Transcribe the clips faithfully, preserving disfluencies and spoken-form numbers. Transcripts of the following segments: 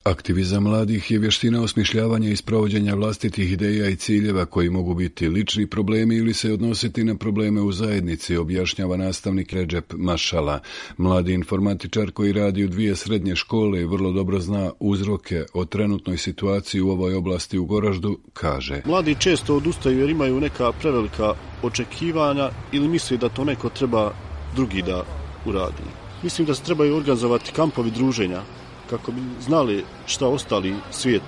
Aktivizam mladih je vještina osmišljavanja i sprovođenja vlastitih ideja i ciljeva koji mogu biti lični problemi ili se odnositi na probleme u zajednici, objašnjava nastavnik Redžep Mašala. Mladi informatičar koji radi u dvije srednje škole i vrlo dobro zna uzroke o trenutnoj situaciji u ovoj oblasti u Goraždu, kaže. Mladi često odustaju jer imaju neka prevelika očekivanja ili misle da to neko treba drugi da uradi. Mislim da se trebaju organizovati kampovi druženja kako bi znali šta ostali svijet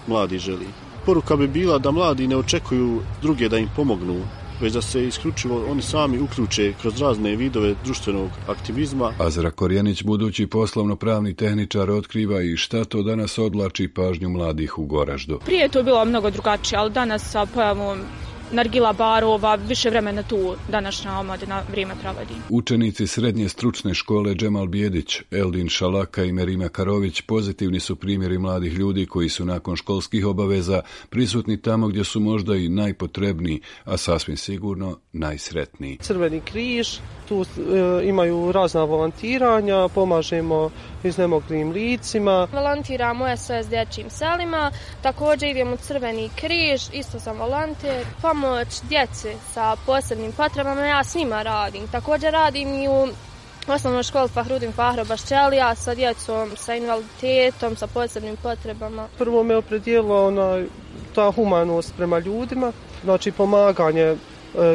mladi želi. Poruka bi bila da mladi ne očekuju druge da im pomognu, već da se isključivo oni sami uključe kroz razne vidove društvenog aktivizma. Azra Korjenić, budući poslovno-pravni tehničar, otkriva i šta to danas odvlači pažnju mladih u Goraždu. Prije je to bilo mnogo drugačije, ali danas sa pojavom nargila barova, više vremena tu današnja omladina vrijeme provodi. Učenici srednje stručne škole Džemal Bijedić, Eldin Šalaka i Merima Karović pozitivni su primjeri mladih ljudi koji su nakon školskih obaveza prisutni tamo gdje su možda i najpotrebniji, a sasvim sigurno najsretniji. Crveni križ, tu e, imaju razna volontiranja, pomažemo iznemoglim licima. Volontiramo u S O S dječjim selima, također idemo u Crveni križ, isto sam volonter. Pomoć djeci sa posebnim potrebama, ja s njima radim. Također radim i u osnovnoj školi Fahrudin Fahro Baščelija sa djecom, sa invaliditetom, sa posebnim potrebama. Prvo me opredijelila ona, ta humanost prema ljudima, znači pomaganje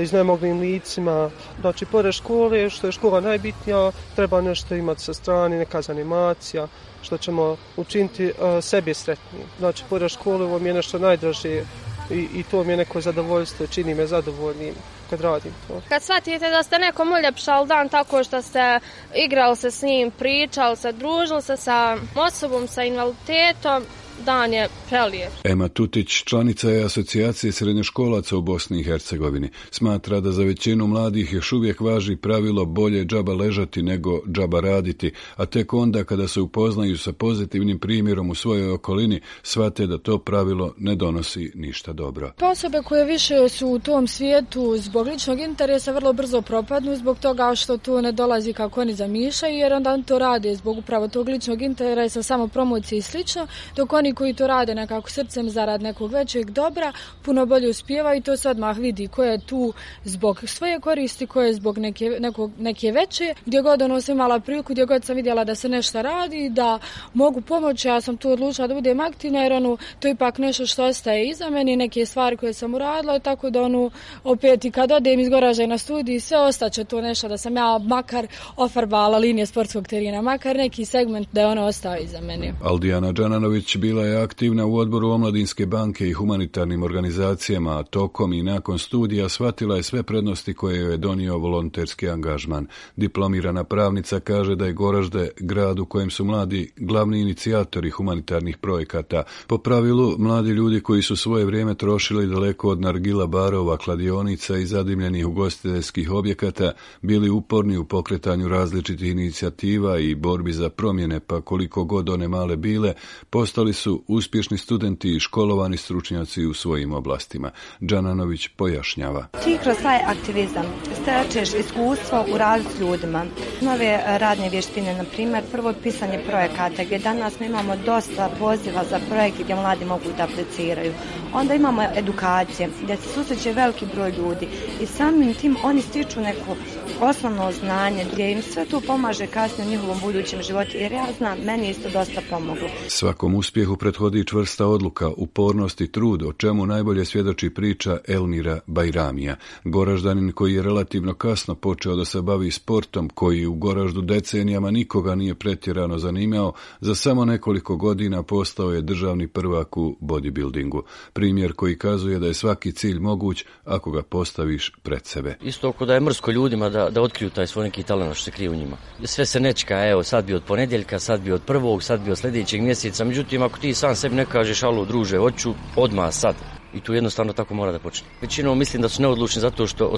iznemoglim licima, znači pored škole, što je škola najbitnija, treba nešto imati sa strane, neka zanimacija, što ćemo učiniti uh, sebi sretniji. Znači pored škole ovo mi je nešto najdraže i, i to mi je neko zadovoljstvo, čini me zadovoljnim kad radim to. Kad shvatite da ste nekom uljepšali dan tako što ste igrali se s njim, pričali se, družili se sa osobom sa invaliditetom, dan je prelijep. Ema Tutić, članica je asocijacije srednjoškolaca u Bosni i Hercegovini. Smatra da za većinu mladih još uvijek važi pravilo bolje džaba ležati nego džaba raditi, a tek onda kada se upoznaju sa pozitivnim primjerom u svojoj okolini, shvate da to pravilo ne donosi ništa dobro. Osobe koje više su u tom svijetu zbog ličnog interesa vrlo brzo propadnu zbog toga što to ne dolazi kako oni zamišljaju, jer onda to rade zbog upravo tog ličnog interesa, samo promocije i slično, dok oni koji to rade nekako srcem zarad nekog većeg dobra, puno bolje uspijevaju i to se odmah vidi ko je tu zbog svoje koristi, ko je zbog neke, nekog, neke veće. Gdje god ono sam imala priliku, gdje god sam vidjela da se nešto radi, da mogu pomoći, ja sam tu odlučila da budem aktivna, jer ono, to je ipak nešto što ostaje iza meni, neke stvari koje sam uradila, tako da ono, opet i kad odem iz Goražda na studiji, sve ostaće to nešto da sam ja makar ofarbala linije sportskog terena, makar neki segment da je ono ostao iza meni. Aldijana Đananović bila je aktivna u odboru Omladinske banke i humanitarnim organizacijama, a tokom i nakon studija shvatila je sve prednosti koje joj je donio volonterski angažman. Diplomirana pravnica kaže da je Goražde grad u kojem su mladi glavni inicijatori humanitarnih projekata. Po pravilu, mladi ljudi koji su svoje vrijeme trošili daleko od nargila barova, kladionica i zadimljenih ugostiteljskih objekata, bili uporni u pokretanju različitih inicijativa i borbi za promjene, pa koliko god one male bile, postali su uspješni studenti i školovani stručnjaci u svojim oblastima. Đananović pojašnjava. Ti kroz taj aktivizam stečeš iskustvo u radu s ljudima. Nove radne vještine, na primjer, prvo pisanje projekata, gdje danas mi imamo dosta poziva za projekte gdje mladi mogu da apliciraju. Onda imamo edukacije, gdje se susreće veliki broj ljudi i samim tim oni stiču neko osnovno znanje, gdje im sve to pomaže kasnije u njihovom budućem životu, jer ja znam, meni isto dosta pomoglo. Svakom uspjehu prethodi čvrsta odluka, upornost i trud, o čemu najbolje svjedoči priča Elmira Bajramija. Goraždanin koji je relativno kasno počeo da se bavi sportom, koji u Goraždu decenijama nikoga nije pretjerano zanimao, za samo nekoliko godina postao je državni prvak u bodybuildingu. Primjer koji kazuje da je svaki cilj moguć ako ga postaviš pred sebe. Isto ako da je mrsko ljudima da, da otkriju taj svoj neki talent što se krije u njima. Sve se nečka, evo sad bi od ponedjeljka, sad bi od prvog, sad bi od sljedećeg mjeseca, međutim ako ti sam sebi ne kažeš alo druže, hoću odmah sad. I tu jednostavno tako mora da počne. Većinom mislim da su neodlučni zato što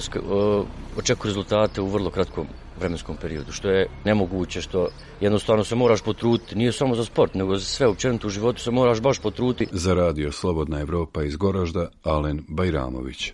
očekuju rezultate u vrlo kratkom vremenskom periodu, što je nemoguće, što jednostavno se moraš potruditi, nije samo za sport, nego za sve općenito u životu se moraš baš potruditi. Za radio Slobodna Evropa iz Goražda, Alen Bajramović.